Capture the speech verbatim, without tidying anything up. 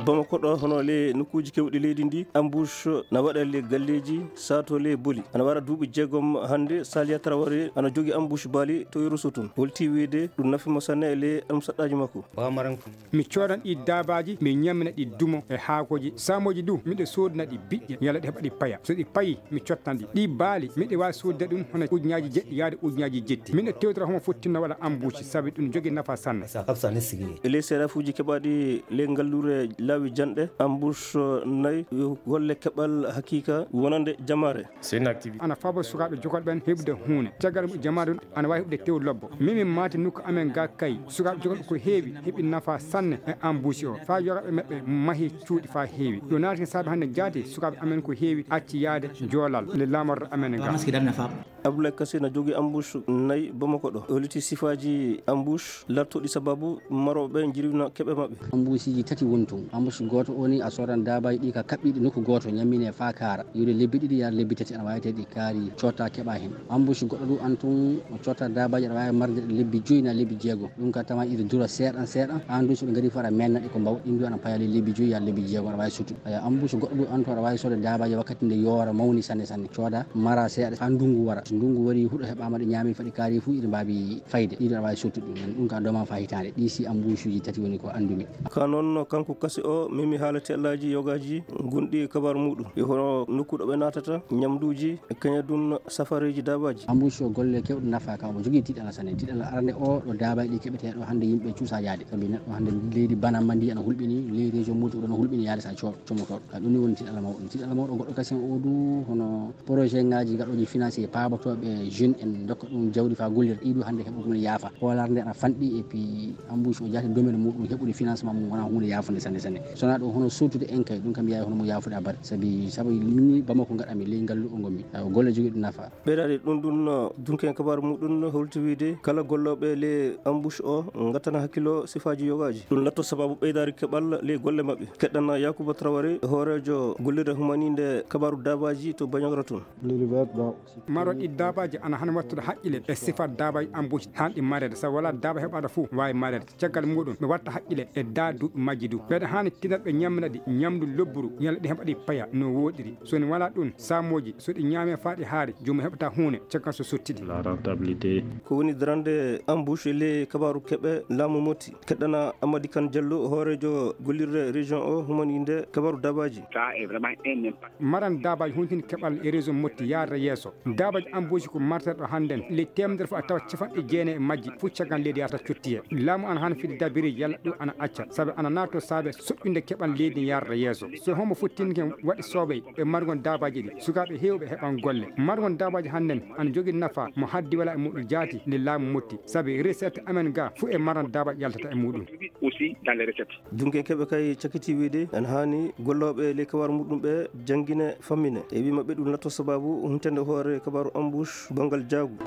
Bamako ɗo, hono le nokkuuji kewɗi leydi ndi, ambush na waɗa le galleeji, sato le boli. Ana wara duuɓi jeegom hannde, Saliya Traoré ana jogi ambush baali to Yeruso tun. Holti wiide ɗum nafi mo sanne e le almusaɗɗaaji makko. Mi coodan ɗi daabaaji, mi ñamina ɗi dumo e haakooji. Saamooji du, miɗo soodina ɗi biƴƴe, yalla ɗi heɓa ɗi paya. So ɗi payi, mi cottan ɗi. Ɗi baali, miɗo waawi soodde ɗum hono ujunnaaji jeɗɗi yaade ujunnaaji jetti. Miɗo tewtora homo fottinno waɗa ambuuci, sabi ɗum jogi nafa sanne. E ley seerafuuji keɓaaɗi ley ngalluure laawi janɗe, ambush nayi yo golle keɓal hakiika wonande jamaare. Ana faabo sukaaɓe jogol ɓen heɓude huune. Caggal mum jamaare ɗum ana waawi heɓude tew lobbo. Mimin maati nokku amen ga kay. Sukaaɓe jogol ko heewi heɓi nafa sanne e ambuusi o. Faa yogaaɓe maɓɓe mahi cuuɗi faa heewi. Ɗo naati saabe hannde jaati sukaaɓe amen ko heewi acci yaade joolal le laamorde amen ga. Abdoulaye Kassé na jogii ambush nayi Bamako ɗo. O holiti sifaaji ambush lartuɗi sababu marooɓe ɓe njirwina keɓe maɓɓe. Ambuusiiji tati woni tun. Ambush gooto o ni a soodan daabaaji ɗi ka kaɓɓiiɗi nokku gooto ñammine faa kaara. Yiwde lebbi ɗiɗi yaade lebbi tati ana waawi tawi ɗi kaari cotta keɓa hen. Ambush goɗɗo du an tun o cotta daabaaji aɗa waawi marde lebbi joyi na lebbi jeego. Ɗum ka tama iri dura seeɗan seeɗan. An du so ɓe ngari fo aɗa menna ɗi ko mbaw. Ɗin du ana paya lebbi joyi yaade lebbi jeego aɗa waawi suttude. Aya ambush goɗɗo du an tun aɗa waawi soode daabaaji wakkati nde yoora mawni sanne sanne. Cooda mara seeɗa faa ndungu wara. So ndungu wari huɗo heɓaama ɗi ñaami faɗi kaari fu iri mbaabi fayde. Ɗiɗo aɗa waawi sottude ɗum. Ɗum ka doman faa hitaande. Ɗi si ambuusuuji tati woni ko anndumi. Ka noon kanko Kassé o memi haala teɗlaaji yogaaji gonɗi e kabaaru muɗum. E hono nokku ɗo ɓe naatata, ñamduuji, e kañadun safareeji daabaaji. Ambuusu o golle kewɗe nafa ka omo jogii tiiɗalla sanne. Tiiɗalla arande o ɗo daabaaji ɗi keɓetee ɗo hannde yimɓe cuusa yaade. Sabi neɗɗo hannde leydi banamma ndi ana hulɓini, ley région Moti o ɗon hulɓini yaade sa co-, comotooɗo. Ka ɗum ni woni tiiɗalla mawɗo. Tiiɗalla mawɗo goɗɗo kasen o du hono projet ngaji gaɗoji financé paabotooɓe jeune en dokka ɗum jawdi faa gollira ɗiɗo hannde heɓugol yaafa. Hoolaare nde ana fanɗi et puis ambush o jaati domaine muɗum heɓude financement mum wona huunde yaafunde sanne sanne. Sona ɗo hono sottude en kay ɗum kam yawi hono mo yaafude abada. Sabi sabu ni Bamako gaɗami ley ngallu o ngonmi. Taw golle jogiiɗo nafa. Ɓeydaade ɗum ɗum no dunken kabaaru muɗum no holti wiide kala gollooɓe ley ambush o ngattana hakkilo sifaaji yogaaji. Ɗum latto sababu ɓeydaari keɓal ley golle maɓɓe. Keɗɗana Yakuba Traoré hooreejo gollirde humaninde kabaaru daabaaji to Bandiagara tun. Maroɗi daabaaji ana hana wattude haqqile e sifat daabaaji ambush hanɗi mareede. Sabu wala daaba heɓaɗo fof waawi mareede. Caggal muɗum ɓe watta haqqile e daa duuɓi majji du. Ɓeɗa haani tinat ɓe ñammina ɗi ñamdu lobburu yalla ɗi heɓa ɗi paya no woɗiri. So ni wala ɗum saamooji so ɗi ñaame faa ɗi haari joomum heɓata huune caggal so sotti ɗi. La rentabilité. Ko woni darande ambush e ley kabaaru keɓe laamu Moti. Keɗɗana Amadi Kan Jallo hooreejo gollirde région o humaninde kabaaru daabaaji. Maran daabaaji huntini keɓal e région Moti yaarata yeeso. Daabaaji ambush ko marterɗo hannden ley teemedere fof a tawa capanɗe jeenayi e majji fof caggal leydi yahata cottiye. Laamu ana hana fide dabiri yalla ɗum ana acca sabu ana naatoo saabe soɓɓinde keɓal leydi yaarata yeeso. So homo fottinken waɗi soobey e margon daabaaji ɗi sukaaɓe heewɓe heɓan golle. Margon daabaaji hannden ana jogii nafa mo haddi wala e muɗum jaati nde laamu Moti sabu recette amen ga fof e maran daabaaji yaltata e muɗum. Dunken keɓe kay cakiti wiide ana haani gollooɓe ley kabaaru muɗum ɓe janngine fammine e wii maɓɓe ɗum latto sababu huntende hoore kabaaru ambush banngal jaagu.